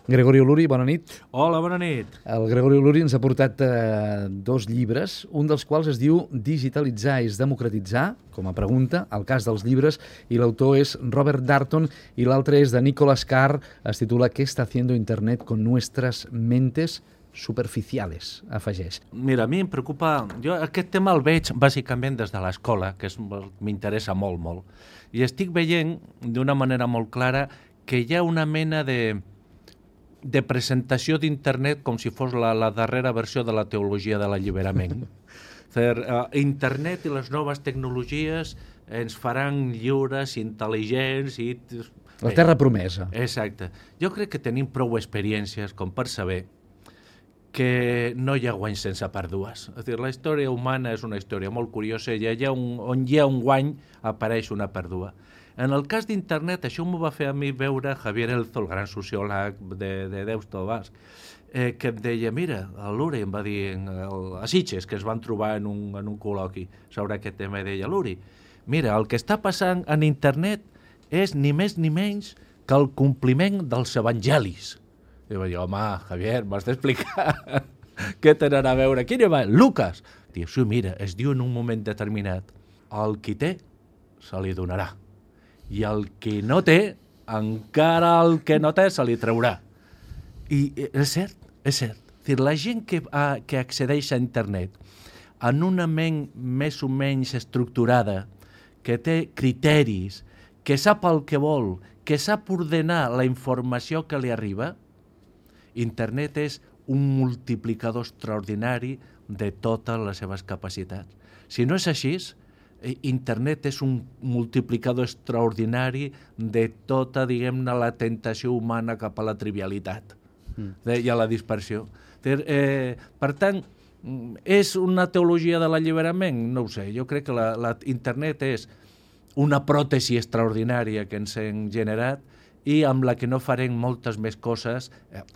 Gregori Oluri, bona nit. Hola, bona nit. El Gregori Oluri ens ha portat dos llibres, un dels quals es diu Digitalitzar és democratitzar, com a pregunta, el cas dels llibres, i l'autor és Robert Darnton, i l'altre és de Nicholas Carr, es titula ¿Qué está haciendo Internet con nuestras mentes superficiales?, afegeix. Mira, a mi em preocupa... Jo aquest tema el veig bàsicament des de l'escola, que m'interessa molt, molt. I estic veient d'una manera molt clara que hi ha una mena de presentació d'internet com si fos la darrera versió de la teologia de l'alliberament. Internet i les noves tecnologies ens faran lliures, intel·ligents i... La terra promesa. Exacte. Jo crec que tenim prou experiències com per saber que no hi ha guany sense pèrdues. És a dir, la història humana és una història molt curiosa i allà on hi ha un guany apareix una pèrdua. En el cas d'internet, això m'ho va fer a mi veure Javier Elzo, el gran sociòleg de Deusto Basc, que em deia, mira, el Luri em va dir a Sitges, que es van trobar en un col·loqui sobre aquest tema, i deia, Luri, mira, el que està passant en internet és ni més ni menys que el compliment dels evangelis. I va dir, home, Javier, m'has d'explicar què tenen a veure. Quin evangeli? Lucas. Diu, sí, mira, es diu en un moment determinat, el qui té se li donarà. I el que no té, encara el que no té se li traurà. I és cert, és cert. Dir, la gent que accedeix a internet en una ment més o menys estructurada, que té criteris, que sap el que vol, que sap ordenar la informació que li arriba, internet és un multiplicador extraordinari de totes les seves capacitats. Si no és així, internet és un multiplicador extraordinari de tota, diguem-ne, la tentació humana cap a la trivialitat i a la dispersió. Per tant, és una teologia de l'alliberament? No ho sé. Jo crec que internet és una pròtesi extraordinària que ens hem generat i amb la que no farem moltes més coses,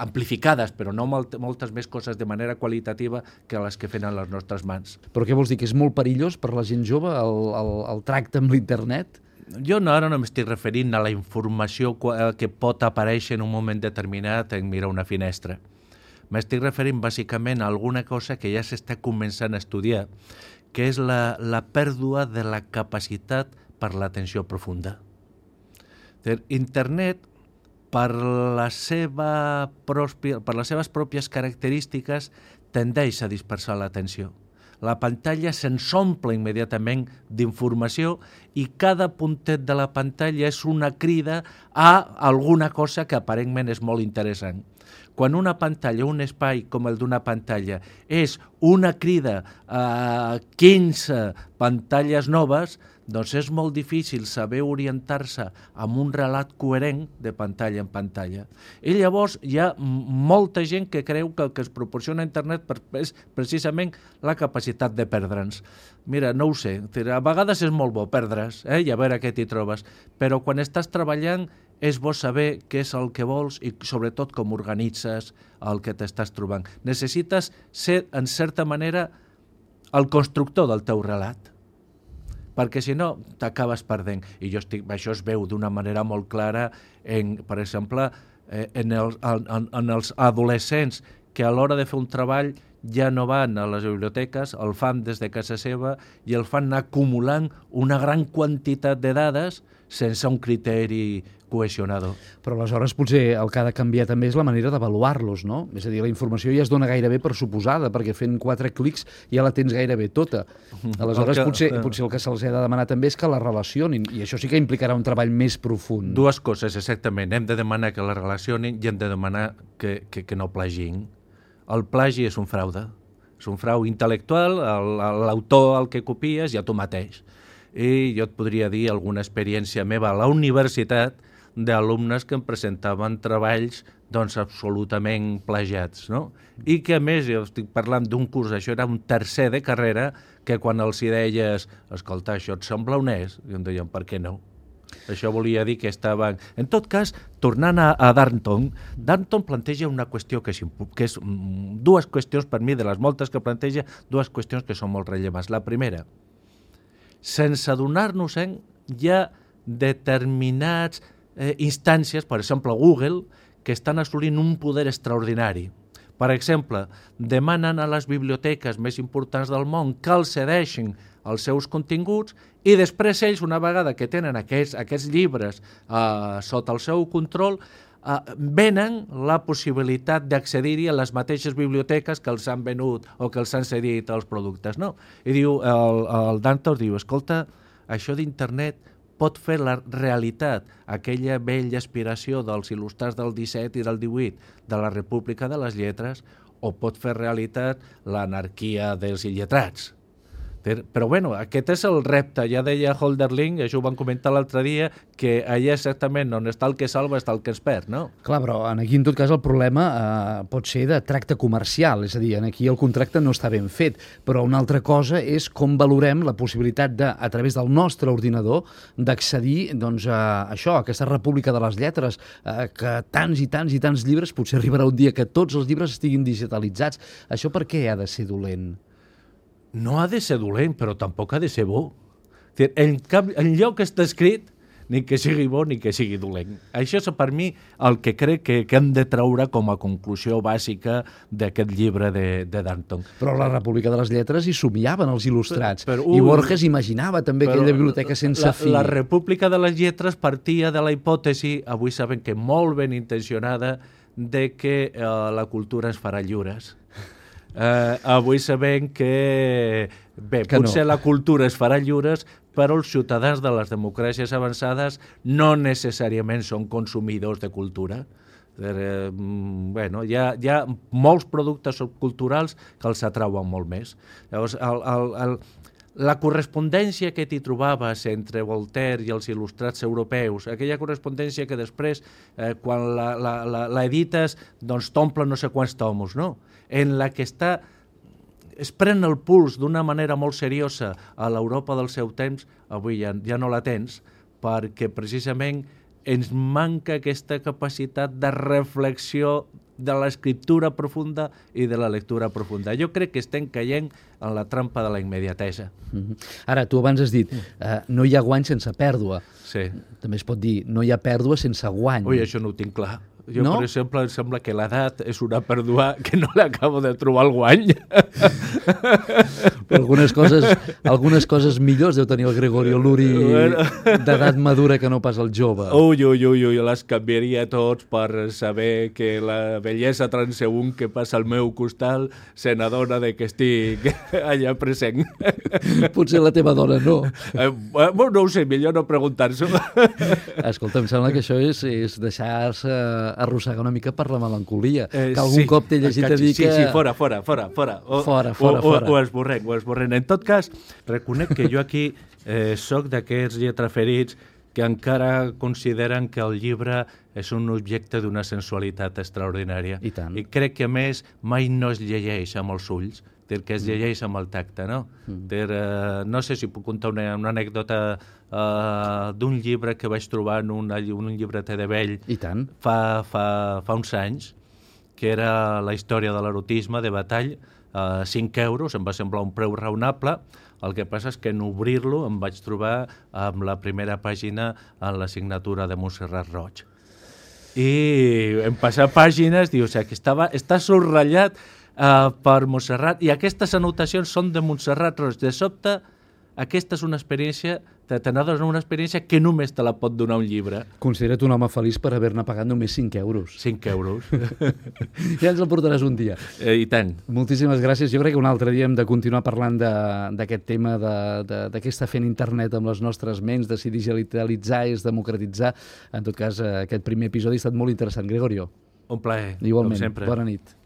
amplificades, però no moltes més coses de manera qualitativa que les que fan a les nostres mans. Però què vols dir, que és molt perillós per la gent jove el tracte amb l'internet? Jo ara no m'estic referint a la informació que pot aparèixer en un moment determinat en mirar una finestra. M'estic referint bàsicament a alguna cosa que ja s'està començant a estudiar, que és la pèrdua de la capacitat per l'atenció profunda. Internet, per les seves pròpies característiques, tendeix a dispersar l'atenció. La pantalla se'ns omple immediatament d'informació i cada puntet de la pantalla és una crida a alguna cosa que aparentment és molt interessant. Quan una pantalla, un espai com el d'una pantalla, és una crida a 15 pantalles noves, doncs és molt difícil saber orientar-se amb un relat coherent de pantalla en pantalla. I llavors hi ha molta gent que creu que el que es proporciona internet és precisament la capacitat de perdre'ns. Mira, no ho sé, a vegades és molt bo perdre's i a veure què t'hi trobes, però quan estàs treballant és bo saber què és el que vols i sobretot com organitzes el que t'estàs trobant. Necessites ser, en certa manera, el constructor del teu relat, perquè si no t'acabes perdent. I això es veu d'una manera molt clara, per exemple, en els adolescents que a l'hora de fer un treball ja no van a les biblioteques, el fan des de casa seva i el fan acumulant una gran quantitat de dades sense un criteri cohesionador. Però aleshores potser el que ha de canviar també és la manera d'avaluar-los, no? És a dir, la informació ja es dona gairebé per suposada, perquè fent 4 clics ja la tens gairebé tota. Aleshores potser el que se'ls ha de demanar també és que la relacionin, i això sí que implicarà un treball més profund. Dues coses, exactament. Hem de demanar que la relacionin i hem de demanar que no plagin. El plagi és un fraude. És un frau intel·lectual, l'autor al que copies i a tu mateix. I jo et podria dir alguna experiència meva a la universitat d'alumnes que em presentaven treballs absolutament plagiats, no? I que a més, jo estic parlant d'un curs, això era un tercer de carrera, que quan els hi deies, escolta, això et sembla honest? I em deien, per què no? Això volia dir que estaven... En tot cas, tornant a Darnton planteja una qüestió que és dues qüestions per mi, de les moltes que planteja, dues qüestions que són molt rellevants. La primera, sense adonar-nos-en, hi ha determinats instàncies, per exemple Google, que estan assolint un poder extraordinari. Per exemple, demanen a les biblioteques més importants del món que els cedeixin els seus continguts i després ells, una vegada que tenen aquests llibres sota el seu control, venen la possibilitat d'accedir-hi a les mateixes biblioteques que els han venut o que els han cedit els productes. No? I diu, el Danton diu, escolta, això d'internet pot fer la realitat, aquella vella aspiració dels il·lustrats del 17 i del 18 de la República de les Lletres, o pot fer realitat l'anarquia dels il·letrats. Però bueno, aquest és el repte. Ja deia Hölderlin, això ho vam comentar l'altre dia, que allà exactament on està el que salva està el que es perd, no? Clar, però aquí en tot cas el problema pot ser de tracte comercial, és a dir, aquí el contracte no està ben fet, però una altra cosa és com valorem la possibilitat de, a través del nostre ordinador, d'accedir doncs, a això, a aquesta república de les lletres, que tants i tants i tants llibres, potser arribarà un dia que tots els llibres estiguin digitalitzats. Això per què ha de ser dolent? No ha de ser dolent, però tampoc ha de ser bo. En lloc que està escrit, ni que sigui bo ni que sigui dolent. Això és per mi el que crec que hem de treure com a conclusió bàsica d'aquest llibre de Danton. Però la República de les Lletres hi somiaven els il·lustrats, i Borges imaginava també aquella biblioteca sense fi. La República de les Lletres partia de la hipòtesi, avui sabem que molt ben intencionada, de que la cultura ens farà lliures. Avui sabem que potser la cultura es farà lliures, però els ciutadans de les democràcies avançades no necessàriament són consumidors de cultura. Bueno, hi ha molts productes culturals que els atrauen molt més. Llavors, la correspondència que t'hi trobaves entre Voltaire i els il·lustrats europeus, aquella correspondència que després, quan l'edites, doncs t'omple no sé quants tomos, no? En la que es pren el puls d'una manera molt seriosa a l'Europa del seu temps, avui ja no la tens, perquè precisament ens manca aquesta capacitat de reflexió de l'escriptura profunda i de la lectura profunda. Jo crec que estem caient en la trampa de la immediatesa. Ara, tu abans has dit, no hi ha guany sense pèrdua. Sí. També es pot dir, no hi ha pèrdua sense guany. Ui, això no ho tinc clar. Jo, no? Per exemple, em sembla que l'edat és una pèrdua que no l'acabo de trobar el guany. Però algunes coses millors deu tenir el Gregorio Luri d'edat madura que no pas el jove. Ui, les canviaria tots per saber que la bellesa transeünt que passa al meu costat se n'adona de que estic allà present. Potser la teva dona no. No ho sé, millor no preguntar-s'ho. Escolta, em sembla que això és deixar-se arrossegar una mica per la melancolia, que algun cop t'he llegit a dir que... Sí, fora. Ho esborrem. En tot cas, reconec que jo aquí soc d'aquests lletraferits que encara consideren que el llibre és un objecte d'una sensualitat extraordinària. I tant. I crec que, a més, mai no es llegeix amb els ulls, que es llegeix amb el tacte, no? No sé si puc contar una anècdota d'un llibre que vaig trobar en un llibreter de vell fa uns anys, que era la història de l'erotisme de Batall, 5 euros, em va semblar un preu raonable. El que passa és que en obrir-lo em vaig trobar amb la primera pàgina en la signatura de Montserrat Roig. I en passar pàgines, dius, que està subratllat per Montserrat, i aquestes anotacions són de Montserrat Roig. De sobte, aquesta és una experiència, te n'adones una experiència que només te la pot donar un llibre. Considera't un home feliç per haver-ne pagat només 5 euros. 5 euros. Ja ens el portaràs un dia. I tant. Moltíssimes gràcies. Jo crec que un altre dia hem de continuar parlant d'aquest tema, de què està fent internet amb les nostres ments, de si digitalitzar és democratitzar. En tot cas, aquest primer episodi ha estat molt interessant. Gregorio. Un plaer, igualment, com sempre. Bona nit.